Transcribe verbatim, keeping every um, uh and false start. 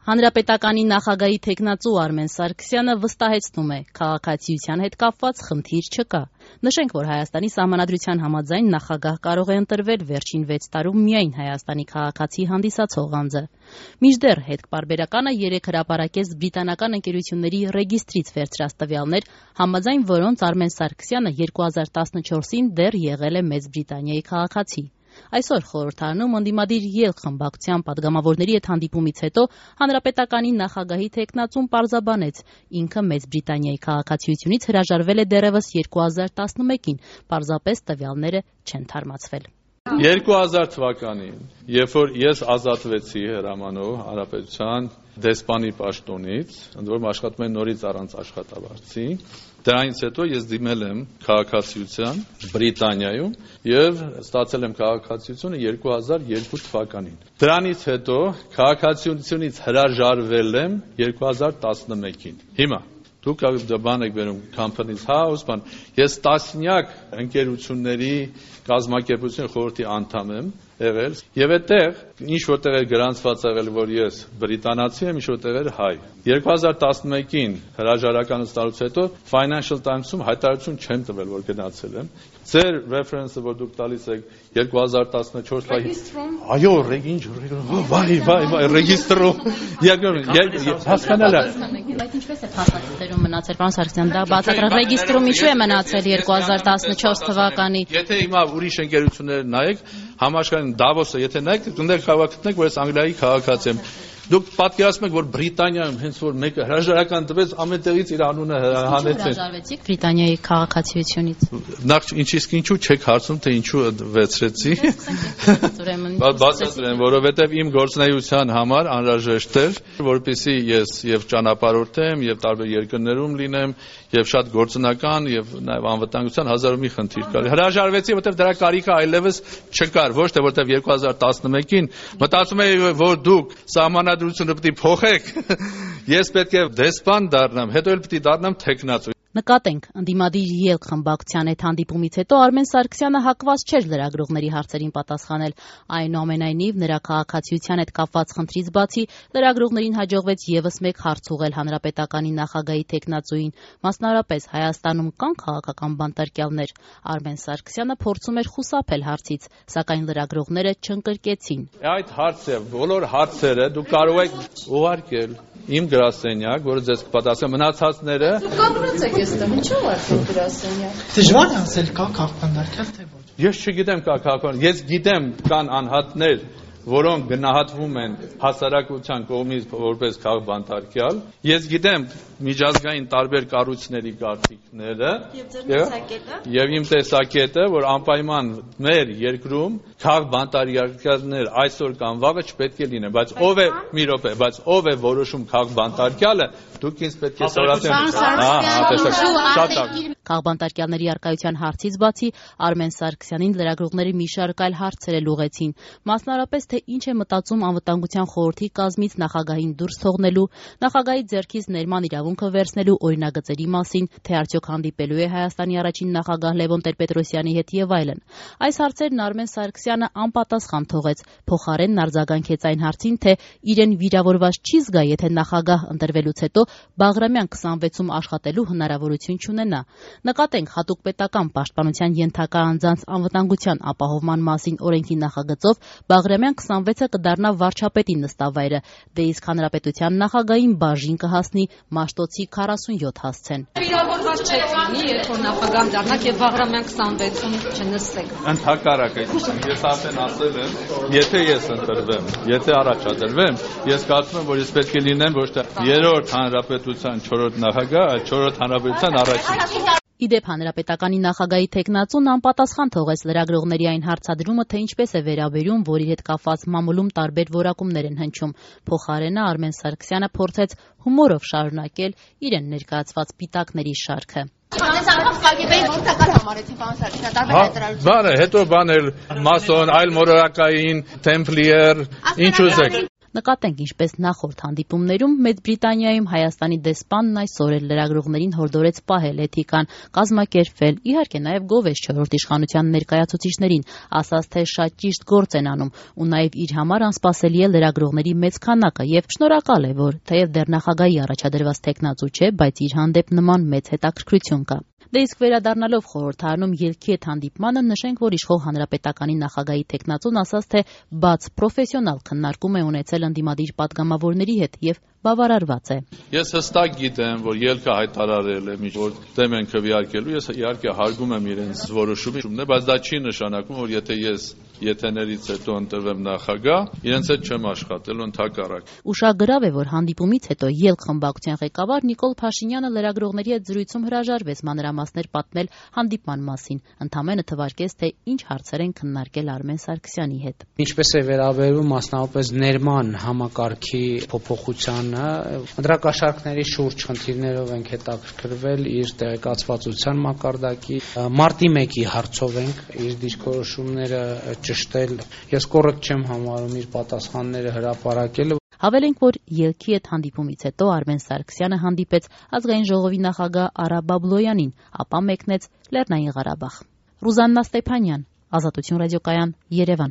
Հանրապետականի նախագահի թեկնածու Արմեն Սարգսյանը վստահեցնում է, քաղաքացիության հետ կապված խնդիր չկա։ Նշենք, որ Հայաստանի Սահմանադրության համաձայն նախագահ կարող է ընտրվել վերջին վեց տարում միայն Հայաստանի քաղաքացի հանդիսացող անձը։ Մինչդեռ հետպարբերականը երեկ հրապարակեց բրիտանական ընկերությունների ռեգիստրից վերցրած տվյալներ, համաձայն որոնց Արմեն Սարգսյանը երկու հազար տասնչորսին դեռ եղել է Մեծ Բրիտանիայի քաղաքացի։ Այսօր խորհրդարանում ընդդիմադիր ելք խմբակցության պատգամավորների հետ հանդիպումից հետո հանրապետականի նախագահի թեկնածուն պարզաբանեց, ինքը Մեծ Բրիտանիայի քաղաքացիությունից հրաժարվել է դեռևս երկու հազար տասնմեկին, պարզապես տվյալները չեն թարմացվել։ երկու հազար թվականին, երբ որ ես ազատվեցի հրամանով հանրապետության դեսպանի պաշտոնից, ընդ որում աշխատում եմ նորից առանց աշխատավարձի, դրանից հետո ես դիմել եմ քաղաքացիության Բրիտանիայում եւ ստացել եմ քաղաքացիությունը երկու հազար երկու թվականին։ Դրանից հետո քաղաքացիությունից հրաժարվել եմ երկու հազար տասնմեկին։ Հիմա դուք բան եք վերում Companies House, բան, ես տասնյակ ընկերությունների կազմակերպության խորհրդի անդամ եմ եղել եւ այդտեղ ինչ որտեղ է գրանցված եղել, որ ես բրիտանացի եմ, ինչ որտեղ էր հայ։ երկու հազար տասնմեկին հրաժարականը ստանալուց հետո Financial Times-ում հայտարարություն չեմ տվել, որ գնացել եմ։ Ձեր reference-ը, որ դուք տալիս եք երկու հազար տասնչորս Ռեգիստրում։ Այո, ինչ վայ, վայ, վայ, ռեգիստրում։ Հասկանալ է։ Բայց ինչպես է փաստաթղթերում մնացել, պարոն Սարգսյան, դա բացատրել ռեգիստրում ինչու է մնացել երկու հազար տասնչորս թվականի։ Եթե հիմա ուրիշ ընկերություններ նայեք, համաշխարհային Դավոսը, եթե նայեք, դուք քաղաքացիք, որ ես Անգլիայի քաղաքացի եմ։ Դուք պատկերացնում եք, որ Բրիտանիայում հենց որ մեկը հրաժարական տվեց, ամենտեղից իր անունը հանեցին։ Հրաժարվեցիք Բրիտանիայի քաղաքացիությունից։ Նախ ինչիսկ ինչու չեք հարցնում, թե ինչու վեցրեցի։ Բացատրեմ, որովհետև իմ գործունեության համար անհրաժեշտ էր, որպեսզի ես եւ ճանապարհորդեմ, եւ տարբեր երկրներում լինեմ, եւ շատ գործնական եւ նաեւ անվտանգության հազար ու մի խնդիր կար։ Հրաժարվեցի, որովհետեւ դրա կարիքը այլևս չկար, ոչ թե որովհետեւ երկու հազար տասնմեկին մտածում էի, որ դուք սահմանադրությունը պետք է փոխեք։ Ես պետք է դեսպան դառնամ, հետո էլ պետք է դառնամ թեկնածու։ Նկատենք, ընդդիմադիր ելք խմբակցության հետ հանդիպումից հետո Արմեն Սարգսյանը հակված չէր լրագրողների հարցերին պատասխանել։ Այնուամենայնիվ, նրա քաղաքացիության հետ կապված խնդրից բացի լրագրողներին հաջողվեց եւս մեկ հարց ուղղել հանրապետականի նախագահի թեկնածուին, մասնավորապես Հայաստանում կան քաղաքական բանտարկյալներ։ Արմեն Սարգսյանը փորձում էր խուսափել հարցից, սակայն լրագրողները չընկրկեցին։ Այդ հարցը, բոլոր հարցերը դուք կարող եք ուղարկել իմ գրասենյակ, որը ձեզ կպատասխանի, մնացածները Կանգնած եք այստեղ, ինչու՞ արդեն գրասենյակ։ Դժվար է ասել կա քաղաքական թե ոչ։ Ես չգիտեմ կա քաղաքական, ես գիտեմ կան անհատներ, որոնք գնահատվում են հասարակության կողմից որպես քաղաքբանտարկյալ։ Ես գիտեմ միջազգային տարբեր կառույցների կարծիքները եւ իմ տեսակետը, որ անպայման մեր երկրում քաղաքբանտարկյալներ այսօր կամ վաղը չպետք է լինեն, բայց ով է մի րոպե, բայց ով է որոշում քաղաքբանտարկյալը, դուք ինձ պետք է սորացնեք։ Քաղաքբանտարկյալների առկայության հարցից բացի Արմեն Սարգսյանին լրագրողների մի շարք այլ հարցեր էլ ուղղեցին, մասնավորապես թե ինչ է մտածում անվտանգության խորհրդի կազմից նախագահին դուրս թողնելու, նախագահի ձեռքից ներման իրավունքը վերցնելու օրինագծերի մասին, թե արդյոք հանդիպելու է Հայաստանի առաջին նախագահ Լևոն Տեր-Պետրոսյանի հետ եւ այլն։ Այս հարցերն Արմեն Սարգսյանը անպատասխան թողեց, փոխարենն արձագանքեց այն հարցին, թե իրեն վիրավորված չի զգա, եթե նախագահ ընտրվելուց հետո Բաղրամյան քսանվեցում աշխատելու հնարավորություն չունենա։ Նկատենք, հատուկ պետական պաշտպանության ենթակա անձանց անվտանգության ապահովման մասին օրենքի նախագծով Բաղրամյան քսանվեցը կդառնա վարչապետի նստավայրը, դե իսկ հանրապետության նախագահին բաժին կհասնի Մաշտոցի քառասունյոթ հասցեն։ Վիրավորված չեք լինի, երբ որ նախագահ դառնաք եւ Բաղրամյան քսանվեցում չնստեք։ Ընդհակառակը, ես արդեն ասել եմ, եթե ես ընտրվեմ, եթե առաջադրվեմ, ես կարծում եմ, որ ես պետք է լինեմ ոչ թե երրորդ հանրապետության չորրորդ նախագահ, այլ չորրորդ հանրապետության առաջին։ Իդեպ հանրապետականի նախագահի թեկնածուն անպատասխան թողեց լրագրողների այն հարցադրումը, թե ինչպես է վերաբերում, որ իր հետ կապված մամուլում տարբեր որակումներ են հնչում։ Փոխարենը Արմեն Սարգսյանը փորձեց հումորով շարունակել իրեն ներկայացված պիտակների շարքը։ Բանը հետո բանել մասոն, այլ մորակային, թեմպլիեր, ինչ ուզեք։ Նկատենք, ինչպես նախորդ հանդիպումներում Մեծ Բրիտանիայում Հայաստանի դեսպանն այսօր էլ լրագրողներին հորդորեց պահել էթիկան, կազմակերպվել, իհարկե նաև գովեց չորրորդ իշխանության ներկայացուցիչներին, ասաց, թե շատ ճիշտ գործ են անում ու նաև իր համար անսպասելի է լրագրողների մեծ քանակը եւ շնորհակալ է, որ թեև դեռ նախագահի առաջադրված թեկնածու չէ, բայց իր հանդեպ նման մեծ հետաքրքրություն կա։ Դե իսկ վերադառնալով խորհրդարանում ելքի այդ հանդիպմանը նշենք, որ իշխող հանրապետականի նախագահի թեկնածուն ասաց, թե բաց պրոֆեսիոնալ քննարկում է ունեցել ընդդիմադիր պատգամավորների հետ եւ բավարարված է։ Ես հստակ գիտեմ, որ ելքը հայտարարել է, որ դեմ են քվեարկելու, ես իհարկե հարգում եմ իրենց որոշումը, բայց դա չի նշանակում, որ եթե ես եթեներից հետո ընտրվեմ նախագահ, իրենց հետ չեմ աշխատելու, ընդհակառակ։ Ուշագրավ է, որ հանդիպումից հետո ելք խմբակցության ղեկավար Նիկոլ Փաշինյանը լրագրողների հետ զրույցում հրաժարվեց մանրամասներ պատմել հանդիպման մասին, ընդամենը թվարկեց, թե ինչ հարցեր են քննարկել Արմեն Սարգսյանի հետ։ Ինչպես է վերաբերվում մասնավորապես ներման համակարգի փոփոխության ընտրակաշառքների շուրջ խնդիրներով ենք հետաքրքրվել, իր տեղեկացվածության մակարդակի, մարտի մեկի հարցով ենք իր դիրքորոշումները ճշտել։ Ես կոռեկտ չեմ համարում իր պատասխանները հրապարակելը։ Հավելենք, որ ելքի այդ հանդիպումից հետո Արմեն Սարգսյանը հանդիպեց Ազգային ժողովի նախագահ Արա Բաբլոյանին, ապա մեկնեց Լեռնային Ղարաբաղ։ Ռուզաննա Ստեփանյան, Ազատություն ռադիոկայան, Երևան։